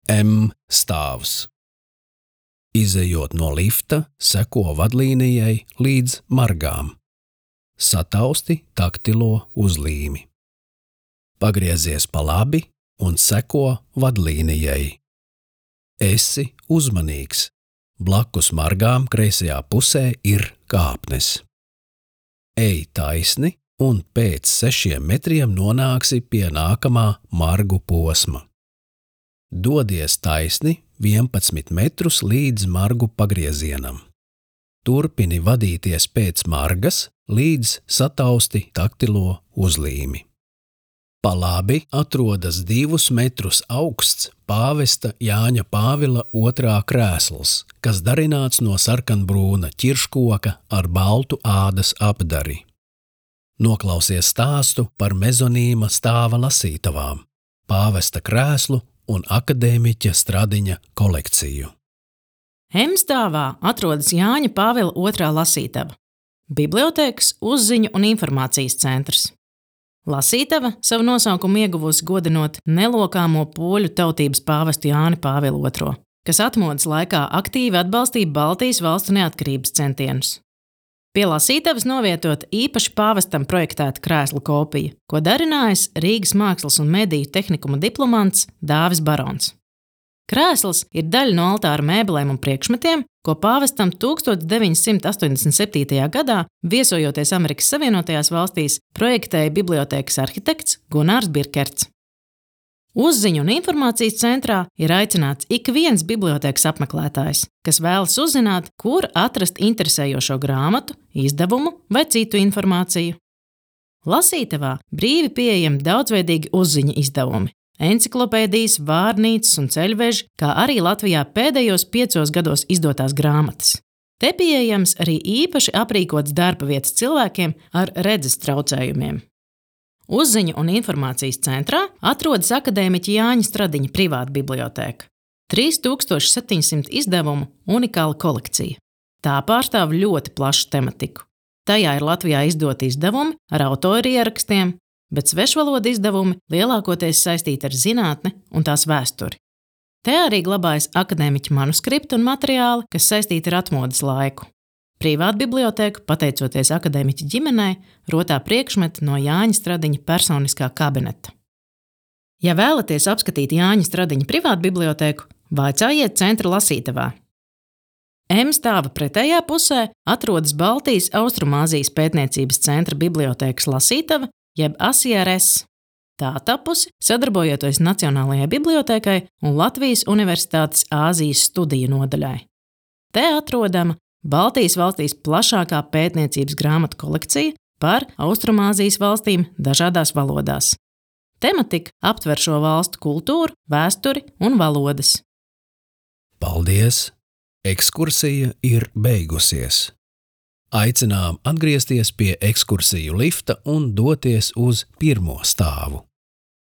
M stāvs. Izejot no lifta, seko vadlīnijai līdz margām. Satausti taktilo uzlīmi. Pagriezies pa labi un seko vadlīnijai. Esi uzmanīgs. Blakus margām kreisajā pusē ir kāpnes. Ej taisni un pēc 6 metriem nonāksi pie nākamā margu posma. Dodies taisni 11 metrus līdz margu pagriezienam. Turpini vadīties pēc margas līdz satausti taktilo uzlīmi. Pa labi atrodas 2 metrus augsts pāvesta Jāņa Pāvila II krēsls, kas darināts no sarkanbrūna ķirškoka ar baltu ādas apdari. Noklausies stāstu par mezonīma stāva lasītavām, pāvesta krēslu un akadēmiķa Stradiņa kolekciju. M stāvā atrodas Jāņa Pāvila II lasītava, bibliotēkas, uzziņu un informācijas centrs. Lasītava savu nosaukumu ieguvusi godinot nelokāmo poļu tautības pāvestu Jāni Pāvilu II, kas atmodas laikā aktīvi atbalstīja Baltijas valstu neatkarības centienus. Pie lasītavas novietot īpaši pāvestam projektēta krēsla kopija, ko darinājis Rīgas Mākslas un mediju tehnikuma diplomants Dāvis Barons. Krēsls ir daļa no altāra mēbelēm un priekšmetiem, ko pāvestam 1987. gadā, viesojoties Amerikas Savienotajās valstīs, projektēja bibliotēkas arhitekts Gunārs Birkerts. Uzziņu un informācijas centrā ir aicināts ik viens bibliotēkas apmeklētājs, kas vēlas uzzināt, kur atrast interesējošo grāmatu, izdevumu vai citu informāciju. Lasītavā brīvi pieejami daudzveidīgi uzziņu izdevumi, enciklopēdijas, vārnīcas un ceļveži, kā arī Latvijā pēdējos 5 gados izdotās grāmatas. Te pieejams arī īpaši aprīkots darba vietas cilvēkiem ar redzes traucējumiem. Uzziņu un informācijas centrā atrodas akadēmiķa Jāņa Stradiņa privāta bibliotēka. 3700 izdevumu unikāla kolekcija. Tā pārstāv ļoti plašu tematiku. Tajā ir Latvijā izdoti izdevumi ar autoru ierakstiem, bet svešvalodu izdevumi lielākoties saistīti ar zinātni un tās vēsturi. Te arī glabājas akadēmiķa manuskripti un materiāli, kas saistīti ar atmodas laiku. Privāta bibliotēka, pateicoties akadēmiķa ģimenei, rotā priekšmeti no Jāņa Stradiņa personiskā kabineta. Ja vēlaties apskatīt Jāņa Stradiņa privātu bibliotēku, vaicājiet centra lasītavā. M stāva pretējā pusē atrodas Baltijas Austrumāzijas pētniecības centra bibliotēkas lasītava, jeb ASIRS. Tā tapusi sadarbojoties Nacionālajai bibliotēkai un Latvijas Universitātes Āzijas studiju nodaļai. Te atrodama Baltijas valstīs plašākā pētniecības grāmatu kolekcija par Austrumāzijas valstīm dažādās valodās. Tematika aptver šo valstu kultūru, vēsturi un valodas. Paldies! Ekskursija ir beigusies. Aicinām atgriezties pie ekskursiju lifta un doties uz 1. stāvu.